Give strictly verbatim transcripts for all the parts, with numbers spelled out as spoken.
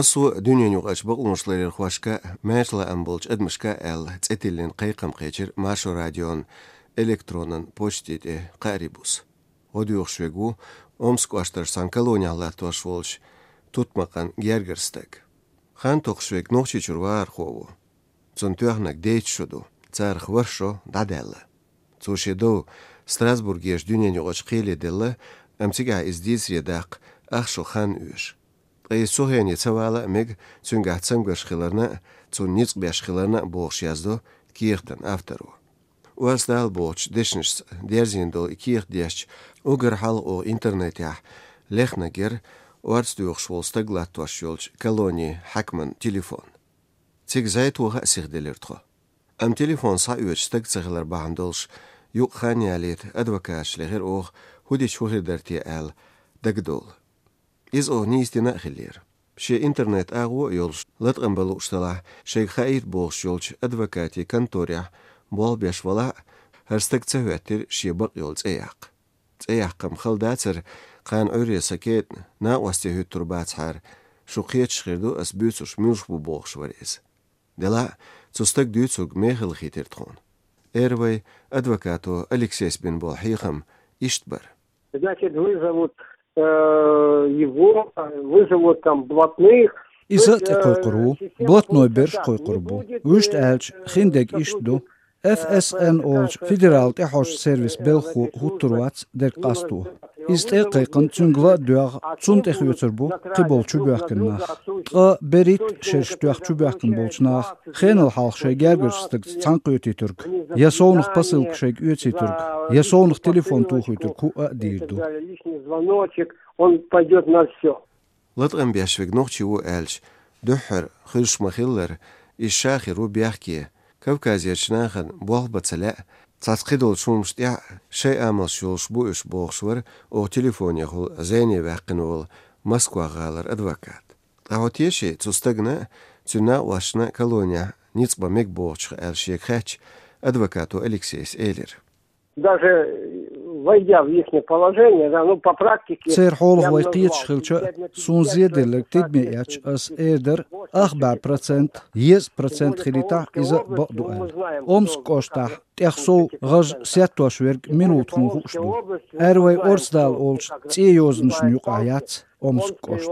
Массо а дуьненаюкъарчу бакъонашларъярхошка, маьрша лаам болчу адамашка аьлла, цӀе тиллина кхайкхам кхечира Маршо радион электронан почте тӀе кхаарин буса. ГӀо доьхуш верг ву Омск кӀоштарчу цхьана колонехь латтош волчу тутмакхан гергара стаг. Хан токхуш верг Нохчийчуьра вахархо ву. Цунна тоьхнарг дейтта шо ду, царах ворхӀ шо дӀадаьлла. Цо шен дов Страсбургерчу дуьненаюкъарчу кхеле делла, амма цигахь иза дийцаре даккха ах шо хан оьшу. Ткъа иза цу хене ца вала а мега, цуьнгахь цамгарш хиларна а, цунна ницкъ беш хиларна а, бохуш яздо кехатан авторо. Орца Дала бохучу дешнашца дерзийна долу и кехат дешча, уггар хьалха оха интернетехь лехнарг яра орца доьхуш волу стаг латтош йолчу колонин хьаькаман телефон. Цига зӀе тоха а сиха делира тхо. Амма телефон схьаоьцуш стаг ца хилар бахьана долуш, юкъа хан ялийта адвокаташ лехира оха, хӀун дича хӀун хир дара те аьлла, дагадовла. Иза оха нийса дина а хиллера. Шен интернет-агӀо а йолуш, латкъам бан лууш делахь, шайга хаийта бохуш йолчу адвокатийн конторехь болх беш валахь а, хӀара стаг ца хӀоьттира шен бакъ йолу цӀе яккха. ЦӀе яккхам хала дацара, кхана Ӏуьйре сан кетӀа накъостий хӀуьттур бацахьара, шу кхеташ хир ду, ас буьйцурш муьлш бу, бохуш вара иза. Делахь а, цу стага дуьйцург мехала хийтира тхуна. Эр вай адвокато Алексейс бина болу хьехам иштта бара. Значит, вызовут, э, его, вызовут там блатных. Иза а тӀекхойкхур ву, блатной берш кхойкхур бу. Вуьшта аьлча, хиндерг иштта ду. F S N олучу федералан тӀехьожу сервисан белхахо хӀуттур вац дерг къасто. Иза тӀе а кхайкхина, цуьнга ла а доьгӀна, цунна тӀе хоьцур бу кхиболу чубоьхкина нах. Ткъа берхӀитта шераш тоьхна чубоьхкина болчу наха хенал хьалха шайн гергарчу стагца цхьаьна кхетийтург, я совнаха посылка шайга оьцийтург, я совнаха телефон тухуьйтург хӀуъа а дийр ду. Лишний звоночек, он пойдёт на всё. Латкъам беш верг нохчи ву аьлча, дуьххьара хуьлуш ма-хиллара, иза ша хир ву бехке, Кавказерчу нахана болх бан ца лаьа, цхьацца кхидолчу хӀуманаш тӀехь шайн амалш йолуш бу уьш, бохуш вара оха телефонехула зене ваьккхина волу Москва-гӀалара адвокат. Ткъа хьо теший цу стагана а, цуьнан накъосташна а колонехь ницкъ бан мега бохучух аьлла шега хаьттича, адвокато Алексейс элира. Даже войдя в ихнее положение, да, ну, по практике, церан хьолах вай кхеташ хилча а, суна зеделларг тидаме эцча, ас эр дара, ах бӀе процент, еза процент хилийтахь, иза а бакъ ду аьлла. Омск кӀоштахь тӀех сов гӀаж сеттош верг минута хӀума хууш ду. Эр вай Орцдала олучу цӀен йозанашна юкъахь яц Омск кӀошт.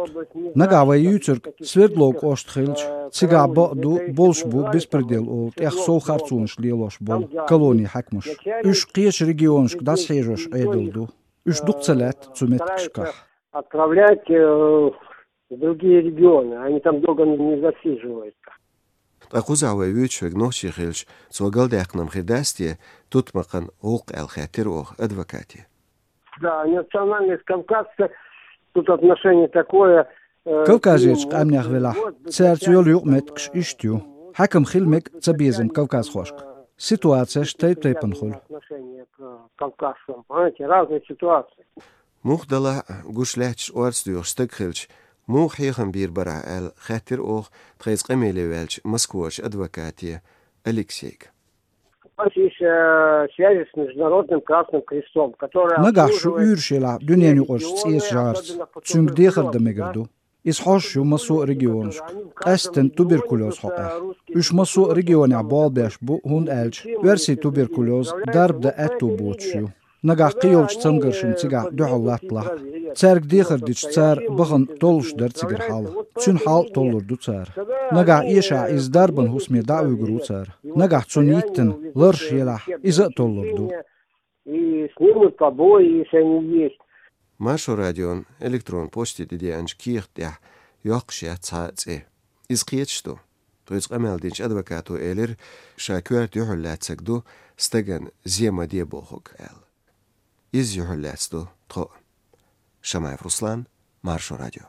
Нагахь вай юьйцург Свердлов кӀошт хилча, цигахь бакъ ду, болуш бу беспредел олу тӀех сов харцонаш лелош болу колонийн хьаькамаш. Уьш кхечу регионашка дӀасахьежош Ӏедал ду. Уьш дукха ца лаьтта цу меттигашкахь. Отправлять, э, в другие регионы, они там долго не, не засиживаются. Ткъа кхузахь вай вуьйцуш верг нохчи хилча, цо галдаьккхина-м хир дац те тутмакхан гӀуллакх аьлла, хаьттира оха адвокате. Да, национальность кавказцев, тут отношение такое, э, Кавказерчу къаьмнех велахь, цаьрца йолу юкъаметтигаш иштта ю. Хьаькам хила мега цабезам кавказхошка. Ситуацеш тайп-тайпана хуьлу. Отношение к кавказцам, понимаете, разные ситуации. Муха далахь а, гуш лаьтташ орца доьхуш стаг хилча, муха хьехам бийр барахь аьлла, хаьттира оха тхайца къамеле ваьллачу Москварчу адвокате Алексейга. У нас есть, э, связи с Международным Красным Крестом, которые... Нагахь шу обслуживают уьйраш елахь дуьненаюкъарчу цӀерачу жӀарца, цуьнга дехар дан мегар ду. Иза хьожуш ю массо а регионашка, къаьсттина туберкулез хьокъехь. Уьш массо а регионехь болх беш бу, хӀунда аьлча оьрсийн туберкулез дарба дан аьтто боцуш ю. Нагахь кхин йолчу цамгаршна цигахь дуьхьал латталахь а, цаьрга дехар дича, цара бахана толлуш дара цигара хьал. Цуьнан хьал а толлур ду цара. Нагахь эшахь иза дарбан хӀусаме дӀа а вуьгур ву цара. Нагахь цунна йиттина ларш елахь, иза а толлур ду. И снимут побои, если они есть. Маршо радион электрон почте тӀедеанчу кехат тӀехь йоккхуш яц цхьа а цӀе. Иза кхеташ ду. Тхуьца къамел динчу адвокато элира, ша коьрта юьхьарлаьцнарг ду стагана зе ма де бохург аьлла. Иза юьхьарлаьцна ду тхо а. Шамаев Руслан, Маршо радио.